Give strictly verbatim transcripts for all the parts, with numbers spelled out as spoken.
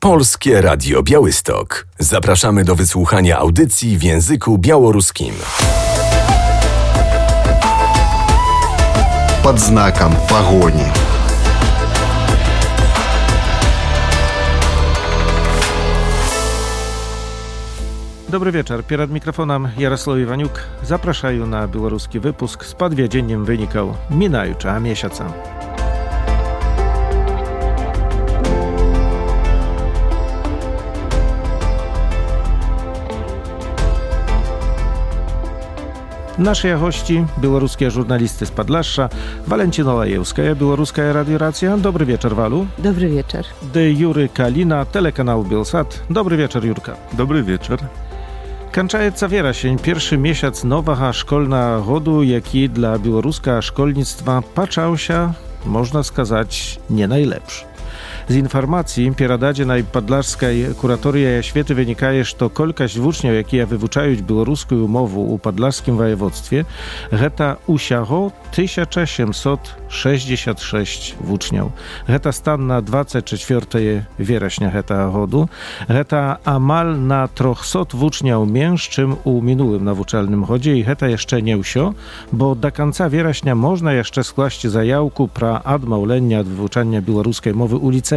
Polskie Radio Białystok. Zapraszamy do wysłuchania audycji w języku białoruskim. Pod znakiem pogoni. Dobry wieczór. Przed mikrofonem Jarosław Iwaniuk. Zapraszają na białoruski wypusk z podwiedzeniem wynikał minająca miesiąca. Nasze gości, białoruskie żurnalisty z Podlasza, Walentina Lajewska, Białoruska Radio Racja. Dobry wieczór, Walu. Dobry wieczór. De Jury Kalina, telekanał Bielsat. Dobry wieczór, Jurka. Dobry wieczór. Kończaється wierasień, pierwszy miesiąc nowego szkolnego roku, jaki dla białoruskiego szkolnictwa patrzał się, można сказać, nie najlepszy. Z informacji pieradadzianej podlaskiej kuratorii oświaty wynika, że kolkaść uczniów, jakie wywuczają białoruską umowę u podlaskim województwie, geta usiało tysiąc siedemset sześćdziesiąt sześć uczniów. Geta stan na dwudziestego czwartego września geta rodu. Geta amal na trzysta uczniów mniejszy czym u minulym nauczalnym chodzie i geta jeszcze nie usio, bo do końca września można jeszcze skłaść zajawku pra admaulenia od wyuczania białoruskiej mowy u licejach.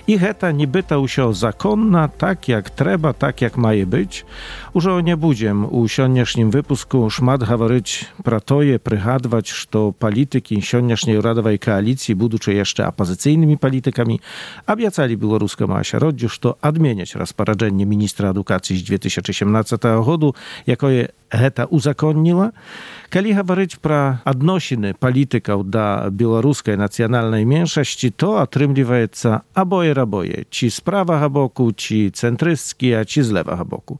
I heta nibyta usio zakonna, tak jak trzeba, tak jak maje być. Użo nie budziem u sioniesznim wypusku szmat hawaryć pratoje, prychadwać, że polityki sioniesznej radowej koalicji, budучи jeszcze opozycyjnymi politykami, obiecali białoruskiemu ośroddziu, że odmieniać rozporządzenie ministra edukacji z dwa tysiące osiemnastego roku, jako je heta uzakonniła. Kali hawaryć pra odnosiny polityków do białoruskiej nacjonalnej mniejszości, to otrymliwaється oboje raboje, ci z prawa boku, ci centrystki, a ci z lewa boku.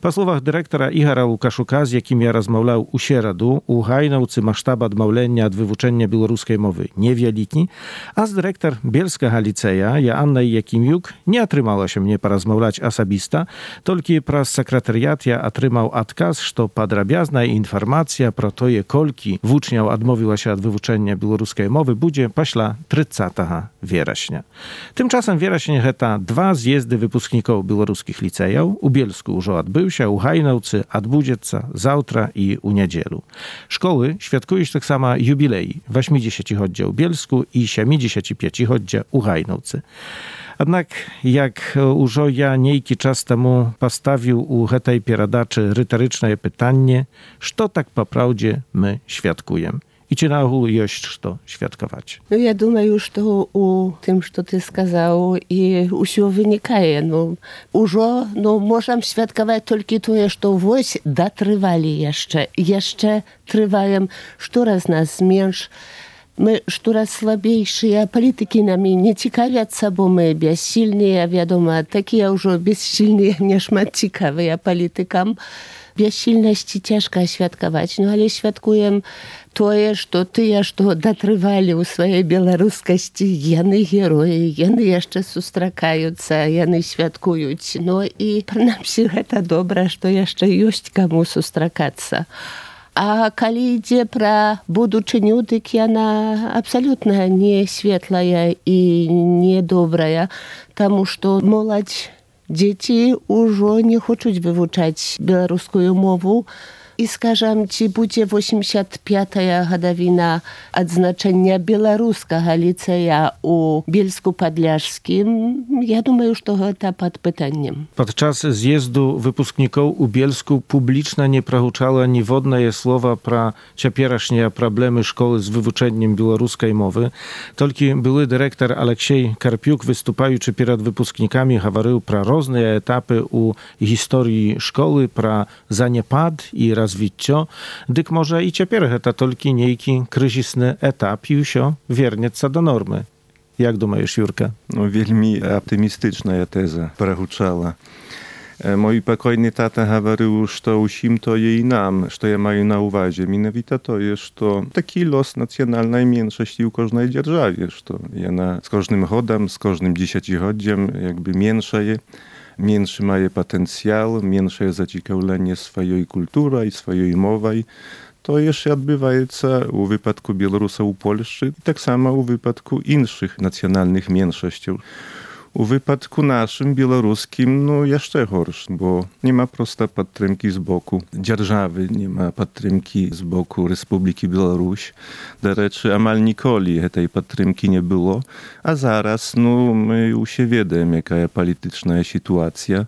Po słowach dyrektora Igora Łukaszuka, z jakim ja rozmawiał u sieradu, u Hajnowcy masztab odmaulenia od wywuczenia białoruskiej mowy niewielki, a z dyrektor Bielskiego Liceja, Joanna Jakimiuk, nie otrzymała się mnie porozmawiać osobista, tylko przez sekretariat ja otrzymał odkaz, że podrabiazna informacja pro to je kolki włóczniał odmówiła się od wywuczenia białoruskiej mowy budzie pośla trzydziestego września. Tymczasem września heta dwa zjezdy wypuskników białoruskich licejów. U Bielsku już odbył się, u Hajnowcy odbudzeться zawtra i u niedzielu. Szkoły świadkują tak samo jubilei. osiemdziesięciolecia u Bielsku i siedemdziesięciopięciolecia u Hajnowcy. Jednak jak już ja niejki czas temu postawił u tej pieradaczy retoryczne pytanie, co tak po prawdzie my świadkujemy? I czy na ogół jest to świadkować? No ja думаю, że u tym, co ty сказał, i усё wynika. No, уже, no, możemy świadkować tylko to, że wось dotrwali jeszcze. Jeszcze trwają, coraz nas mniejszy. My coraz słabejsi, a polityki nami nie ciekawią, bo my bezsilni, a wiadomo, takie już bezsilni, nie szmat ciekawi, a politykam bezsilności ciężko świadkować, no ale świadkuję to, że ty, że dotrwali u swojej białoruskości, jeny heroje, jeny jeszcze sustrakają się, jeny świadkują. No i przynajmniej to dobre, że jeszcze jest komu sustrakać się. A kali idzie pra buduczyniu, tak ona absolutnie nie świetlaja i niedobraja, тому что młodzi dzieci już nie chcą wywuczać białoruską mowę. I скажем, ci będzie osiemdziesiąta piąta годовina odznaczenia białoruskiego liceja u Bielsku Podlaskim. Ja думаю, że to pod pytaniem. Podczas zjezdu wypuskników u Bielsku publiczna nie prahuczała ni wodne słowa pra ciepierasznie problemy szkoły z wywuczeniem białoruskiej mowy. Tylko były dyrektor Aleksiej Karpiuk występujący przed wypusknikami hawarył pra różne etapy u historii szkoły, pra zaniepad i rozwitcio, dyk może i ciepierę to tylko niejki kryzysny etap i usio wiernieca do normy. Jak думаешь, Jurka? No, wielmi optymistyczna teza prahuczała. Mój pokojny tata говорил, że усім to je i nam, że ja mają na uwadze. Mianowicie to jest, że taki los nacjonalnej mniejszości u każdej dzierżawie, że ona z każdym chodem, z każdym dziesięcioleciem jakby mniejszeje. Mniejszy ma potencjał, mniejsze zaciekawienie swojej kultury i swojej mowy. To jeszcze odbywa się u wypadku Białorusa u Polski, tak samo u wypadku innych nacjonalnych mniejszości. U wypadku naszym, białoruskim, no jeszcze gorszy, bo nie ma prosta podtrzymki z boku dzierżawy, nie ma podtrzymki z boku Republiki Białoruś. Do rzeczy, amal nikoli tej podtrzymki nie było, a zaraz, no, my już się wiemy, jaka jest polityczna sytuacja.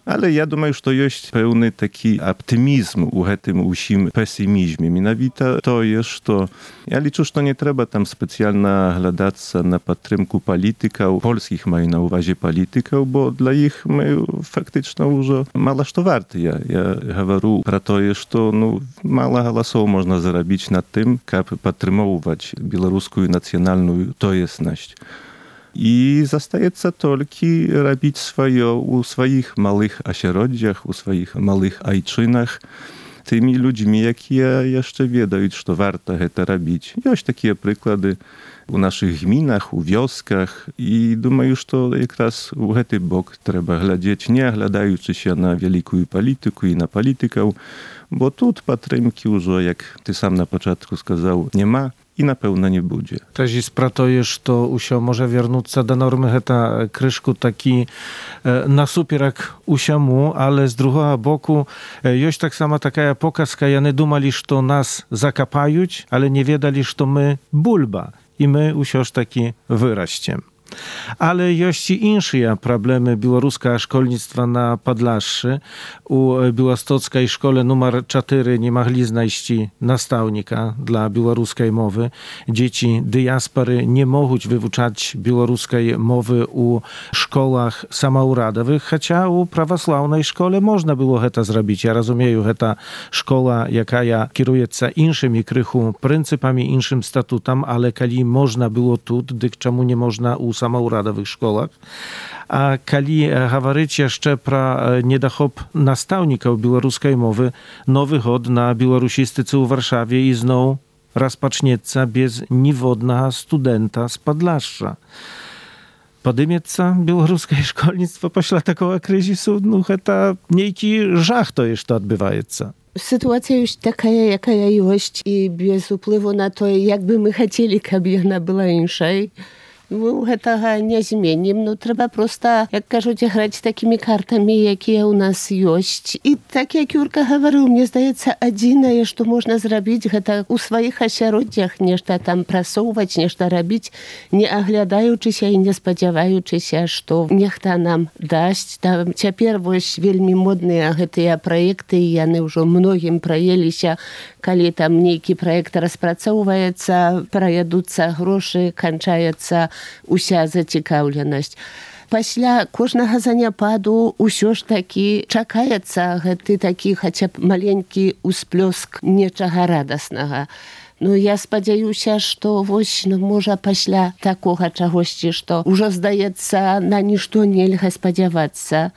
Ale ja думаю, że to jest pełny taki optymizm u tym usim pesymizmie. Mianowicie to jest, że ja liczę, że to nie trzeba tam specjalnie oglądać na podtrzymku polityków, polskich mają na uwadze polityków, bo dla ich my faktycznie już mało to warte. Ja, ja mówię про to, że no, mało głosów można zarobić na tym, żeby podtrzymywać białoruską nacjonalną tojesność. I zostaje tylko robić swoje u swoich małych ośrodkach, u swoich małych ojczynach, tymi ludźmi, jakie jeszcze wiedzą, że warto to robić. Jest takie przykłady u naszych gminach, u wioskach i думаю, że to jakraz u ten bok trzeba глядеть, nie oglądając się na wielką politykę i na polityków, bo tu podtrzymki już, jak ty sam na początku сказał, nie ma. I na pewno nie będzie. Też jest prato, że to usio może wrócić do normy heta kryszku taki e, na super jak usiamu, ale z drugiego boku e, jest tak sama taka pokazka, ja nie dumali, że to nas zakapają, ale nie wiedali, że to my bulba i my usioż taki wyraściem. Ale jest i inne problemy białoruskiego szkolnictwa na Podlaszy. U białostockiej szkole numer cztery nie mogli znaleźć nastawnika dla białoruskiej mowy. Dzieci diaspory nie mogą wyuczać białoruskiej mowy u szkołach samouradowych, chociaż u prawosławnej szkole można było to zrobić. Ja rozumiem, że ta szkoła, jaka ja kieruje się innymi krychu pryncypami, innym statutem, ale kali można było tu, dyk czemu nie można u samouradowych szkołach. A kali mówić jeszcze pro niedachop nastawników białoruskiej mowy, nowy chod na białorusistyce u Warszawie i znowu rozpocznieca bez niewodnego studenta z Podlasza. Podymieca białoruskie szkolnictwo pośle takiego kryzysu, no to niejki żach to jeszcze odbywaється. Sytuacja już taka, jaka jest i bez wpływu na to, jakby my chcieli, aby ona była inaczej. My tego nie zmienimy. No, trzeba prosto, jak кажуть, grać takimi kartami, jakie u nas jest. I tak jak Jurka mówił, mnie zdaje się, jedyne, co można zrobić, to u swoich ośrodkach nešto tam prasować, nešto robić, nie oglądając się i nie spodziewając się, że niech to nam daść. Tam teraz są wielmi modne te projekty i one już mnogim projęli się, kiedy tam niejki projekt rozpracowuється, проєдуться гроші, kończaється уся зацікавленасць. Пасля кожнага заняпаду ўсё ж такі чакаецца гэты такі хаця б маленькі ўсплёск нечага радаснага. Ну, я спадзяюся, што вось, ну, можа, пасля такога чагосьці, што ўжо здаецца, на нішто нельга спадзявацца,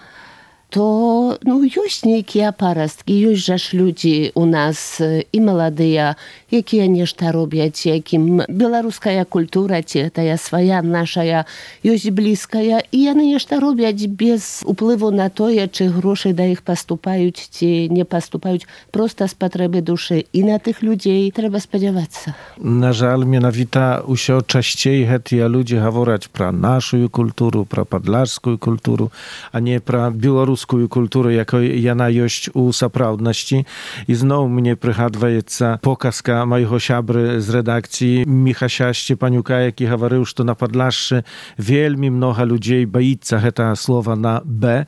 то, ну, ёсць нейкія парасткі, ёсць жа ж людзі у нас і маладыя, якія нешта робяць, якім беларуская культура, ці тая свая нашая, ёсць блізкая, і яны нешта робяць без уплыву на тое, чи грошы да іх паступаюць, ці не паступаюць, проста з патрэбы душы. І на тых людзей трэба спадзявацца. На жаль, менавіта ўсё часцей гэтыя людзі гавораць пра нашу культуру, пра падлажскую культуру, а не пра беларускую kulturę, jako jana jest u saprawności. I znowu mnie przygadwaється pokazka mojego siabry z redakcji Michasia Szczepaniuka, jaki mówił, że na Podlaszy wielmi mnoga ludzi boi się tego słowa na B.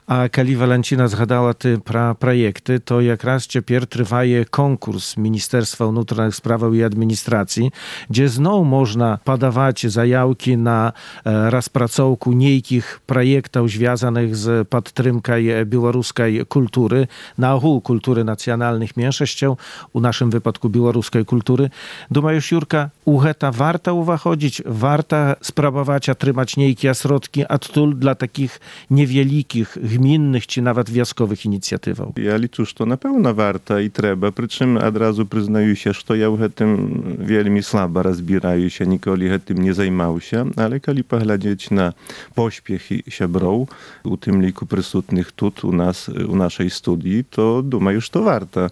A kiedy Walencina zgadała te pra projekty, to jak raz teraz trwa konkurs Ministerstwa Wnętrznych Spraw i Administracji, gdzie znowu można podawać zajawki na e, rozpracowku niejkich projektów związanych z podtrzymką białoruskiej kultury, na ogół kultury nacjonalnych mniejszości, u naszym wypadku białoruskiej kultury. Думаешь, Jurka, u heta warto uwachodzić, warto spróbować otrzymać niejkie środki odtul dla takich niewielkich gminnych czy nawet wioskowych inicjatywów. Ja liczę, że to na pewno warto i trzeba, przy czym od razu przyznaję się, że ja w tym wielmi słabo rozbierаю się, nigdy tym nie zajmował się, ale kiedy poglądać na pośpiechy siabrów, u tym liku przysutnych tu u nas, u naszej studii, to думаю, że to warto.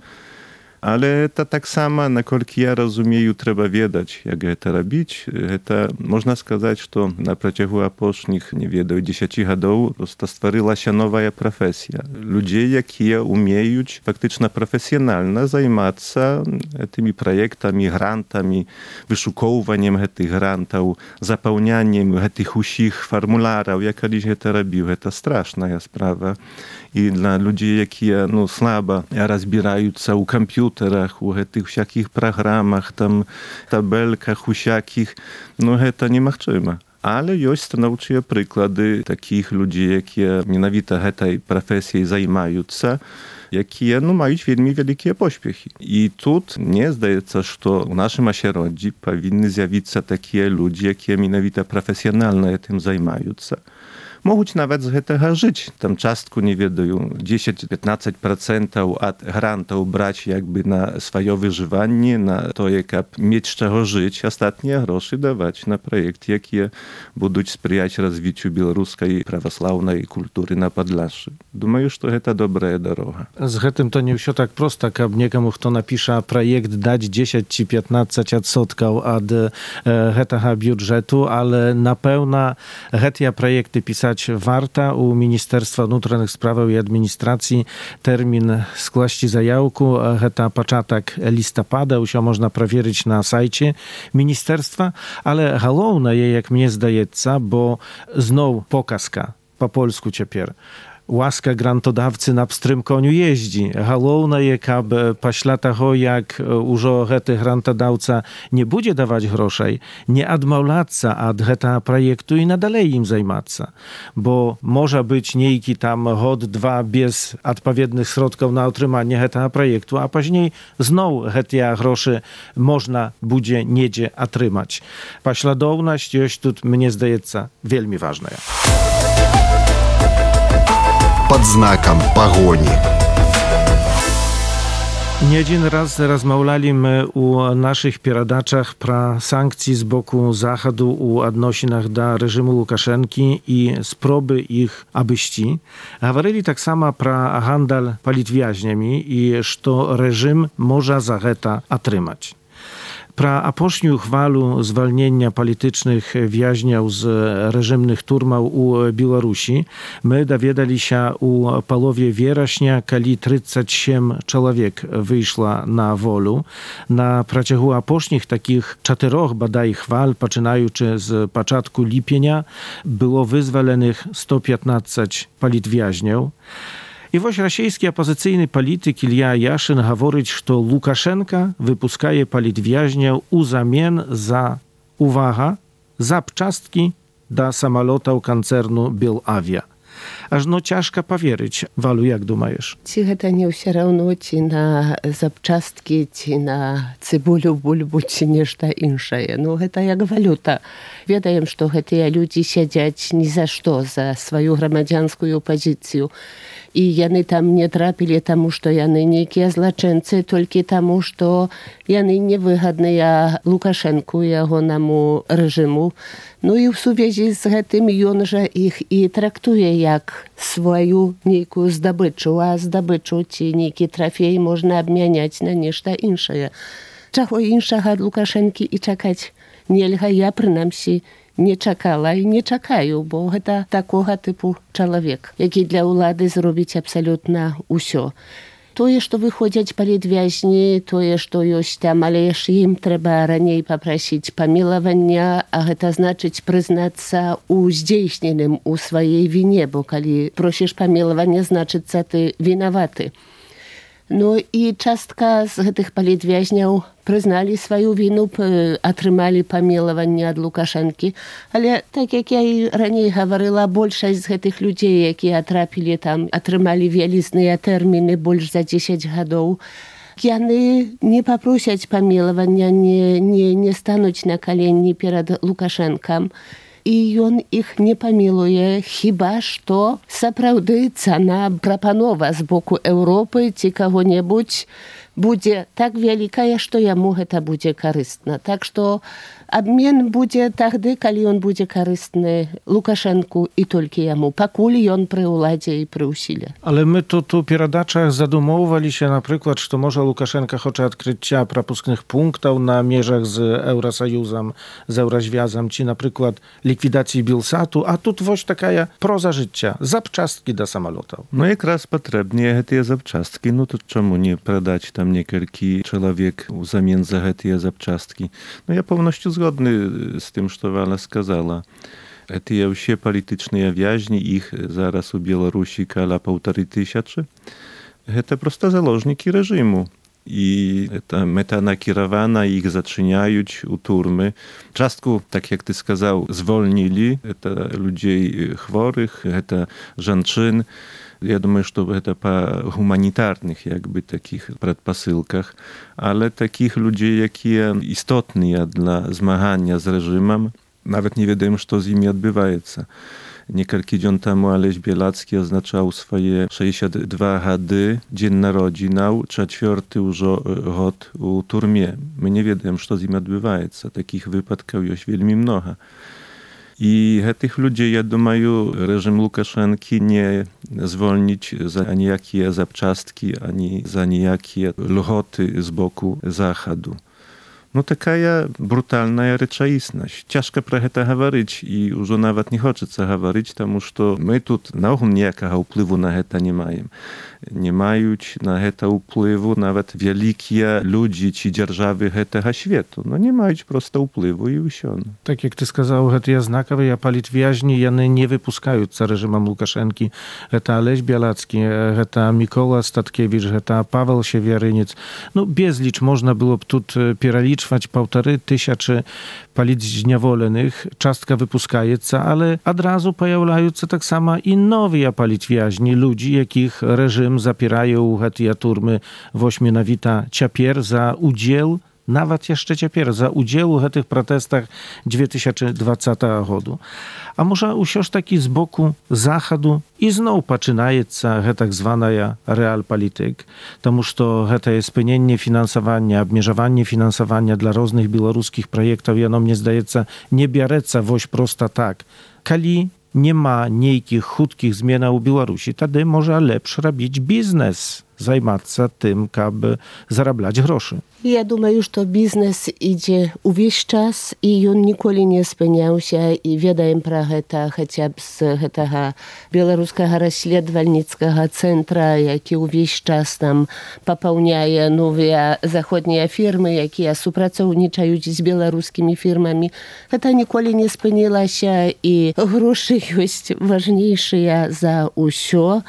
Ale to tak samo, наколькі я разумею, трэба ведаць, як гэта рабіць. Гэта, можна сказаць, што на працягу апошніх, не ведаю, дзесяці гадоў проста стварылася новая прафесія. Людзей, якія умеюць фактычна прафесіянальна займацца гэтымі праектамі, грантамі, вышукоўваннем гэтых грантаў, запаўняннем гэтых усіх фармуляраў. Я калісь гэта рабіў. Гэта страшная справа. І для людзей, якія ну, слаба разбіраюцца ў камп'ютарах, у гэтых всякіх праграмах, там, табельках усякіх, ну гэта немагчыма. Але ёсць станоўчыя прыклады такіх людзей, якія менавіта гэтай прафесіяй займаюцца, якія ну, маюць вельмі вялікія поспехі. І тут мне здаецца, што ў нашым асяроддзі павінны з'явіцца такія людзі, якія менавіта прафесіянальна гэтым займаюцца. Могуць нават з гэтага жыць. Там частку, не ведаю, дзесяць-пятнаццаць працэнтаў ад грантаў браць як бы на сваё выжыванне, на тое, каб мець з чаго жыць, астатнія грошы даваць на праекты, якія будуць спрыяць развіццю беларускай праваслаўнай культуры на Падляшшы. Думаю, што гэта добрая дарога. З гэтым то не ўсё так проста, каб некаму, хто напіша праект, даць дзесяць ці пятнаццаць адсоткаў ад э, гэтага бюджэту, але, напэўна, гэтыя праекты пісаць warta. U Ministerstwa Внутренних Справ i Administracji termin skłaści zajawku, to początek listopada, усё można провірити na sajcie ministerstwa, ale główne jest, jak mnie zdaється, bo znów pokazka po polsku ciepер. Łaska grantodawcy na pstrym koniu jeździ. Główne jest, aby pośle tego, jak już ten grantodawca nie będzie dawać groszej, nie odmawiać od tego projektu i nadal im zajmować. Bo może być niejki tam hod, dwa bez odpowiednich środków na utrzymanie tego projektu, a później znowu te grosze można będzie niedzie otrzymać. Pośladowność jest tu, mnie zdaється, wielmi ważna. Под знаком погони. Nie jeden raz rozmawialiśmy u naszych передачах про sankcje z boku Zachodu u odnosinach do reżimu Łukaszenki i spróby ich obejścia. Mówili tak samo про handel politwiaźniami i że reżim może za to otrzymać. Pra apośniu chwalu zwolnienia politycznych więźniów z reżimnych turmów u Białorusi my dowiedzieli się u połowie września, kiedy trzydzieści osiem człowiek wyszło na wolę. Na przeciągu apośnich takich czterech badaj chwal, poczynając z początku lipienia, było wyzwolenych sto piętnaście politwiaźniów. I właśnie rosyjski opozycyjny polityk Ilja Yashin mówi, że Łukaszenka wypuszcza politwiaźniów u zamian za, uwaga, zapczastki do samolotów koncernu Belavia. Aż no ciężko powierzyć. Walu, jak думаешь? Czy to nie все равно, czy na zapczastki, czy na cebulю, bulbu, czy nieszta insze. No to jak waluta. Wiadomo, że te ludzie siedzą ni za co, za swoją громадянскую pozycję. I jany tam nie trapili temu, że jany niekie zloczyńcy, tylko temu, że jany niewygodne Łukaszenku, jego nemu reżimu. No i w związku z tym on, że ich i traktuje jak swoją nieką zdobyczu, a zdobyczu ci niekie trafie można obmieniać na nieszta insze. Czego inszego od Łukaszenki i czekać nielga, ja przynajmniej nie czekała i nie czekają, bo to takiego typu człowiek, jaki dla władzy zrobić absolutnie wszystko. To jest, że wychodzą politwiaźni, to jest, że jest tam, ale jeszcze im trzeba raniej poprosić pomilowania, a to znaczy przyznać się u zdjęśnionym, u swojej winie, bo kiedy prosisz pomilowania, znaczy, że ty winowaty. No i частка z tych politwiaźniów przyznali swoją winę, otrzymali pomilowanie od Łukaszenki, ale tak jak ja raniej mówiła, większość z tych ludzi, jakie trafili tam, otrzymali wielizne terminy, больше za dziesięć lat. Oni nie poprosić pomilowania, nie, nie, nie stanąć na koleni przed Łukaszenką. I on ich nie pomiluje, chyba że naprawdę cena proponowa z boku Europy czy kogo-niebudź będzie tak wielka, że jemu to będzie korzystne. Tak, że обмен będzie wtedy, kiedy on będzie korzystny Łukaszenku i tylko jemu, pakuli on przy uladzie i przy usile. Ale my tu, tu pieradaczach zadumowali się na przykład, że może Łukaszenka chce odkrycia prapusknych punktów na mierzach z Eurosojuzem, z Eurozwiązem, czy na przykład likwidacji Bilsatu, a tu właśnie taka proza życia, zapczastki do samolotów. No jak raz potrzebnie te zapczastki, no to czemu nie pradać tam niekielki człowiek w zamian za te zapczastki? No ja pełnością zgodny z tym, co Wala skazała. Te все polityczne więźni, ich zaraz u Białorusi kala półtorej tysiąca, to prosto założniki reżimu. I ta meta nakierowana, ich zaczynają u turmy. Czastku, tak jak ty skazał, zwolnili to ludzi chorych, to żonczyn. Ja думаю, что это по гуманитарных jakby takich предпосылках, ale takich ludzi, jakie istotne dla zmagania z reżimem, nawet nie wiedzą, co z nimi odbywaється. Niekielki dzień temu Aleś Bielacki oznaczał swoje sześćdziesiąt dwa hady, dzień narodzinał, czwarty już rok u turmie. My nie wiemy, co z nimi odbywaється. Takich wypadków jest wielmi mnoho. I tych ludzi, ja думаю, reżim Łukaszenki nie zwolnić za anijakie zapczastki, ani za anijakie lgoty z boku Zachodu. No taka brutalna rzeczywistość. Ciężko про это говорить i już nawet nie хочется говорить, потому что my tu naogół ніякого wpływu na to nie mają. Nie mają na to wpływu nawet wielkie ludzie czy держаwy tego świata. No nie mają prosto wpływu i все. Tak jak ty skazał, to jest znakowe, ja politwiaźni, jany nie wypuskają za reżimem Łukaszenki. To Aleś Bielacki, to Mikoła Statkiewicz, to Paweł Siewieryniec. No bezlicz można było tu pieraliczyć półtorej tysiąca politwniawolenych, czastka wypuskajeca, ale od razu pojawiają się tak samo i nowi politwiaźni, ludzi, jakich reżim zapierają te turmy wośmienowita ciapier za udział, nawet jeszcze ciapier, za udział w tych protestach dwa tysiące dwudziestego roku. A może usiąść taki z boku Zachodu i znowu zaczynaється tak zwana realpolityk, тому що to jest spełnienie finansowania, obmierzowanie finansowania dla różnych białoruskich projektów, i ono mnie zdaється nie biereться woś prosto tak. Kali nie ma niejkich, chudkich zmian u Białorusi, wtedy może lepszy robić biznes, zajmować się tym, aby zarabiać groszy. Ja думаю, że biznes idzie uwieś czas i on nigdy nie spełniał się i wiedzą про to chociaż z tego białoruskiego rozśledowalnickiego centra, jaki uwieś czas tam popełniaje nowe zachodnie firmy, jakie współpracują z białoruskimi firmami. To nigdy nie spełniło się i groszy jest ważniejsze za wszystko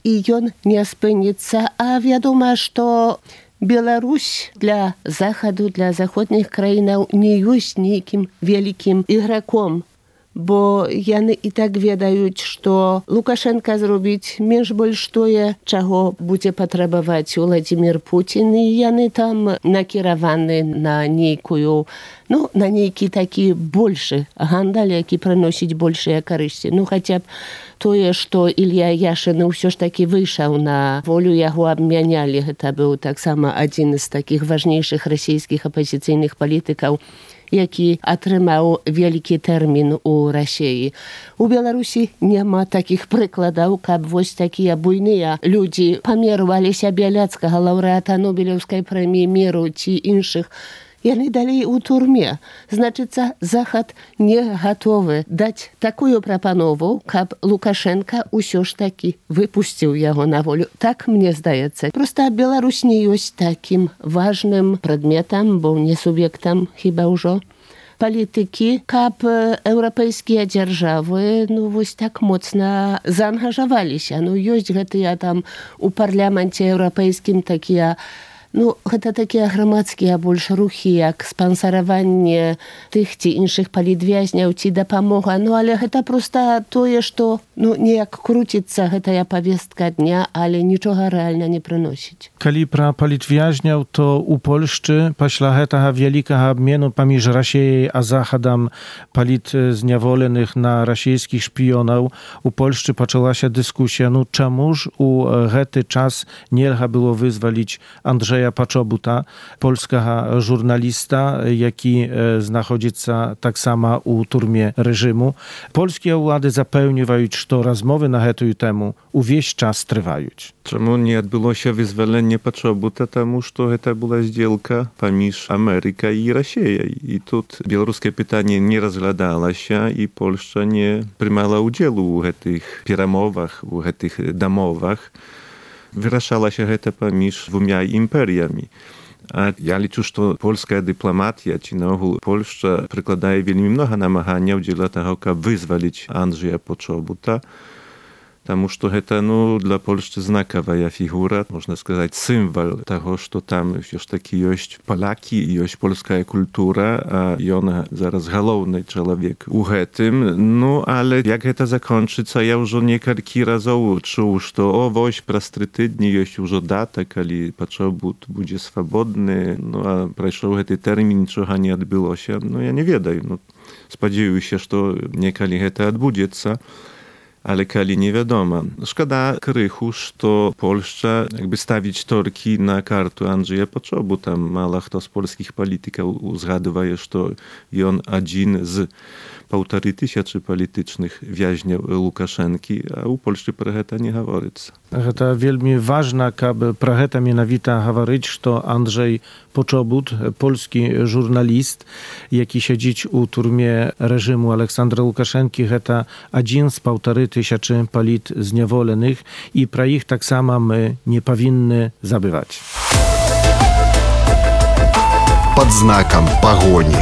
i on nie spełnится, a wiadomo, że Białoruś dla Zachodu, dla zachodnich krajów nie jest niejakim wielkim igrakom, bo jany i tak wiedzą, że Łukaszenka zrobić mniej больше to, czego będzie potrzebować Władimir Putin, i jany tam nakierowany na niejaką, no, na niejaki taki больше handel, jaki przynosić больше korzyści. No chociaż to, że Ilja Yashin już taki wyszedł na wolę, jego obmieniali. To był tak samo jeden z takich ważniejszych rosyjskich opozycyjnych polityków, jaki otrzymał wielki termin u Rosji. U Białorusi nie ma takich przykładów, jak właśnie takie bujne ludzie pomierwali się Bielackiego, laureata Nobelowskiej Premii Miru czy innych. I oni dalej u turmie. Znaczy, Zachód nie gotowy dać taką proponowę, aby Łukaszenka już taki wypuścił jego na wolę. Tak mnie zdaje się. Prosto Białoruś nie jest takim ważnym przedmiotem, bo nie subiektem chyba już polityki, aby europejskie держаwy no właśnie tak mocno zaangażowali się. No jest ja tam u Parlamencie Europejskim takie No, to takie громадские больше ruchy, jak sponsorowanie tych czy innych politwiaźniów, czy dopomoga. No, ale to prosto to jest to, no, niejak krócica, to ja powiestka dnia, ale niczego realnie nie przynosić. Kiedy pra politwiaźniów, to u Polszczy, pośla tego wielkiego obmienu pomiędzy Rosją a Zachodem politwniawolenych na rosyjskich szpionów, u Polszczy zaczęła się dyskusja, no czemuż u ten czas nie było wyzwolić Andrzeja Andrzeja Paczobuta, polskiego żurnalista, jaki znachodzica tak samo u turmie reżimu. Polskie władze zapewniają, że rozmowy na tę temu увесь czas trwają. Czemu nie odbyło się wyzwolenie Paczobuta? Тому что to była сделка поміж Ameryką i Rosją. I tu białoruskie pytanie nie rozglądało się i Polska nie przymała udziału w tych перемовах, w tych domowach. Wyraszała się to pomiędzy dwoma imperiami. A ja liczę, że polska dyplomatia, czy na ogół Polska przykładaje wiele mnogo namagania dla tego, aby wyzwolić Andrzeja Paczobuta. Потому что это, ну, для Польши знаковая фигура, можно сказать, символ того, что там все-таки есть поляки, есть польская культура, а он зараз головный человек у гэтым. Ну, але jak это закончится, я уже несколько разов чуł, что, о, вось, праз три тыдні есть уже дата, когда Пачобут будет свободный, ну, а прошел этот термин, ничего не отбылось. Ну, я не ведаю, ну, сподіваюсь, что неколи это отбудется. Ale kali nie wiadomo. Szkoda krychu, że Polska jakby stawić torki na kartu Andrzeja Paczobuta. Mało kto z polskich polityków uzgaduje, że on jeden z półtorej tysiąca politycznych więźniów Łukaszenki, a u Polski про to nie говорится. To wielmi ważne, aby про to mianowita говорить, że Andrzej Paczobut, polski żurnalist, jaki siedzi u turmie reżimu Aleksandra Łukaszenki, to jeden z półtorej tysiąca polit zniewolenych i про ich tak samo my nie powinny zabywać. Pod znakiem pogoni.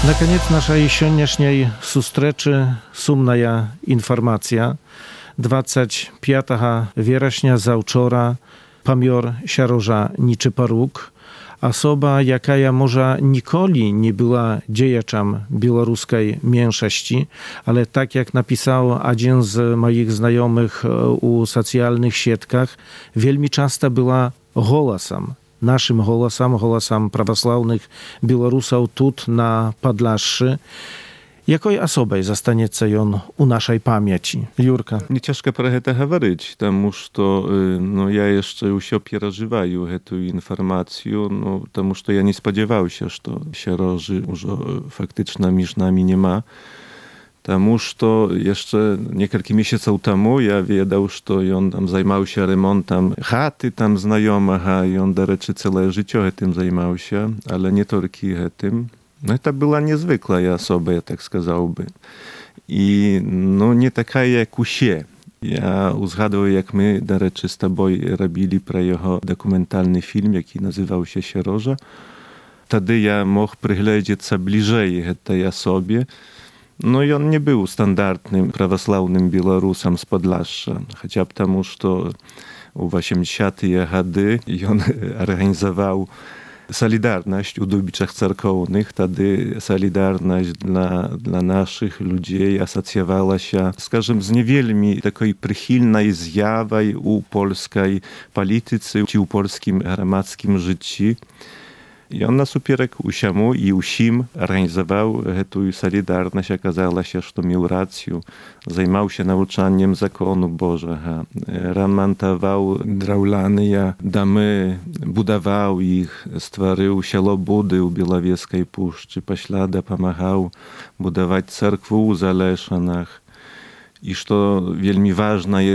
Na koniec naszej dzisiejszej sustreczy sumna informacja. dwudziestego piątego września zawczora pamior Siaroża Niczyparuk, osoba, jaka może nikoli nie była dziejaczem białoruskiej mniejszości, ale tak jak napisał jeden z moich znajomych u socjalnych sietkach, wielmi często była głosem. Naszym głosem, głosem prawosławnych Białorusów tut na Podlaszu. Jakiej osobą zostanie on u naszej pamięci? Jurka. Nie ciężko про to говорить, потому что no, ja jeszcze się przeżywаю tę informację, no, потому что ja nie spodziewałem się, że Siaroży już faktycznie między nami nie ma. Потому что jeszcze kilka miesięcy temu ja wiedział, że on tam zajmował się remontem chaty tam znajomego i on do rzeczy całe życie tym zajmował się, ale nie tylko tym. No to była niezwykła osoba, ja tak сказałby. I no nie taka jak usie. Ja uzgadłem, jak my do rzeczy z tobą robili pro jego dokumentalny film, jaki nazywał się Siaroża. Wtedy ja mógł przyglądać się bliżej tej osobie. No i on nie był standardnym prawosławnym Białorusem z Podlasza, chociaż потому, że w osiemdziesiątych latach on organizował Solidarność u Dubiczach Cerkownych. Wtedy Solidarność dla, dla naszych ludzi asocjowała się, скажем, z niewielmi takiej przychylnej zjawą u polskiej polityce, czy u polskim gromadzkim życiu. I on nasuperek usiemu i usim organizował tę Solidarność. Okazało się, że miał rację. Zajmował się nauczaniem zakonu Bożego. Remontował drewniane domy, budował ich, stworzył sielo Budy u Białowieskiej Puszczy. Poślada pomagał budować cerkwy u Zaleszanach. I co wielmi ważne,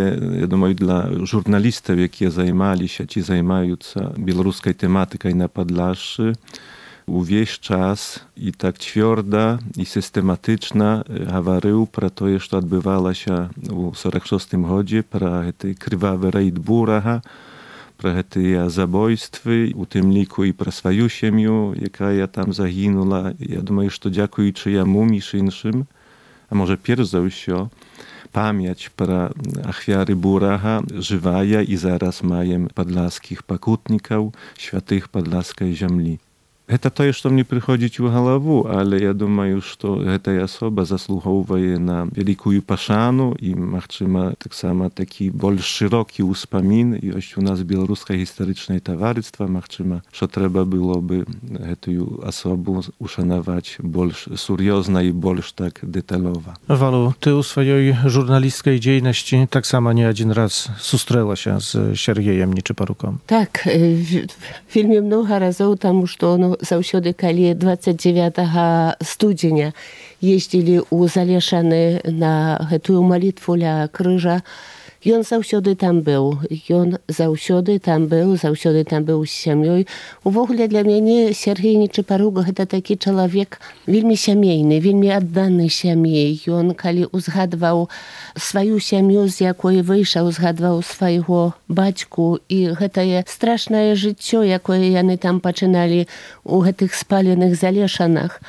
ja думаю, dla żurnalistów, jakie zajmowali się, ci zajmują się białoruską tematyką na Podlaszu, увесь czas i tak twarda i systematyczna mówił про to, co odbywało się w сорок szóstym roku, про te krwawe rejd Buraha, про te zabójstwy, u tym liku i про swoją семью, jaka tam zaginęła. Ja думаю, że dziękując jemu, між іншим, a może перш за все, pamięć про ofiary Buraha żywaja i zaraz mają podlaskich pokutników, świętych podlaskiej ziemi. Это тое, што мне прыходзіць у галаву, але я думаю, што гэтая асоба заслугоўвае на вялікую пашану і, магчыма, таксама такі больш шырокі ўспамін. Ёсць у нас беларускае гістарычнае таварыства, магчыма, што трэба было бы гэтую асобу ушанаваць больш сур'ёзна і больш так дэталёва. Walu, ty u swojej żurnalistskiej dziejności tak samo nie jeden raz susтрела się z Сергеем Нечипоруком. Так, вельмі много разоў, таму што ну, заўсёды, калі дваццаць дзевятага студзеня ездзілі ў Залешаны на гэтую малітву ля крыжа, ён заўсёды там быў. Ён заўсёды там быў, заўсёды там быў з сям'ёй. Увогуле для мяне Сергей Нечипорук гэта такі чалавек вельмі сямейны, вельмі адданы сям'і. Ён, калі узгадваў сваю сям'ю, з якой выйшаў, узгадваў свайго бацьку і гэтае страшнае жыццё, якое яны там пачыналі ў гэтых спаленых Залешанах.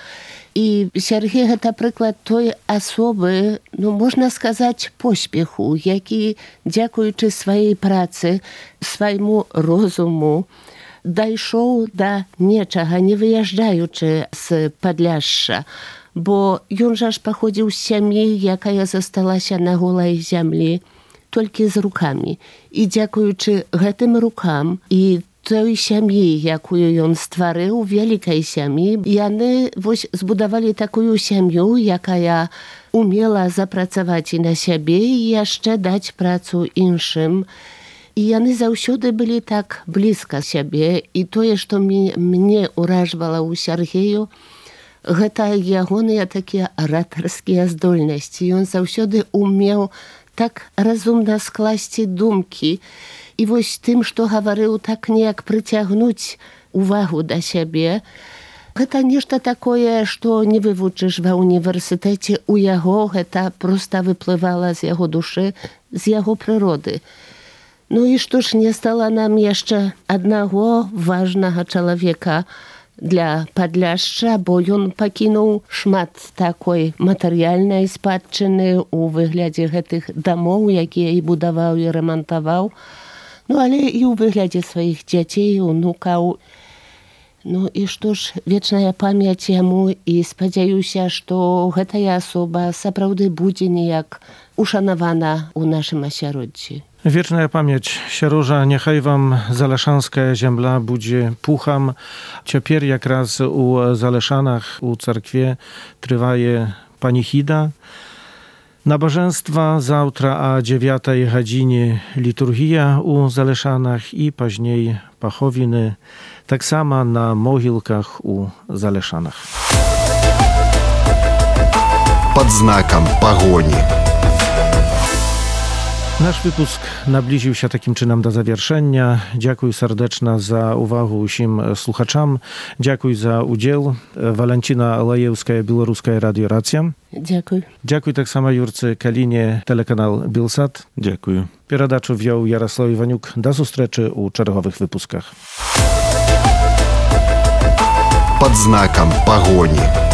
І Сергей гэта прыклад той асобы, ну, можна сказаць, поспеху, які, дзякуючы сваёй працы, свайму розуму, дайшоў да нечага, не выязджаючы з Падляшша. Бо ён жа ж паходзіў з сям'і, якая засталася на голай зямлі, толькі з рукамі. І дзякуючы гэтым рукам і той сям'і, якую ён стварыў, вялікай сям'і, яны вось збудавалі такую сям'ю, якая умела запрацаваць і на сябе, і яшчэ даць працу іншым. І яны заўсёды былі так блізка сябе. І тое, што мне ўражвала ў Сергею, гэта ягоныя такія аратарскія здольнасці. Ён заўсёды умеў так разумна скласці думкі. І вось тым, што гаварыў, так неяк прыцягнуць увагу да сябе. Гэта нешта такое, што не вывучыш ва універсітэце. У яго гэта проста выплывала з яго душы, з яго прыроды. Ну і што ж не стала нам яшчэ аднаго важнага чалавека для Падляшша, бо ён пакінуў шмат такой матэрыяльнай спадчыны ў выглядзе гэтых дамоў, якія і будаваў, і рамантаваў. Ну, але і ў выглядзе сваіх дзяцей, унукаў. Ну, і што ж, вечная памяць яму, і спадзяюся, што гэтая асоба сапраўды будзе неяк ушанавана ў нашым асяроддзі. Wieczna pamięć Sieróża, niechaj wam zaleszanska ziemla budzie pucham. Ciepер jak raz u Zaleszanach, u cerkwie trwaje panichida. Nabożeństwa zawtra a dziewiątej godzinie liturgia u Zaleszanach i później pachowiny, tak samo na mogilkach u Zaleszanach. Pod znakiem pogoni. Nasz wypusk nabliżył się takim czynem do zawieszenia. Dziękuję serdecznie za uwagę wszystkim słuchaczom. Dziękuję za udział. Walentina Lajewska, Białoruska Radio Racja. Dziękuję. Dziękuję tak samo Jurce Kalinie, telekanał Bilsat. Dziękuję. Передачу wziął Jarosław Iwaniuk. Do zустрічі u czerwowych wypuskach. Pod znakiem pogoni.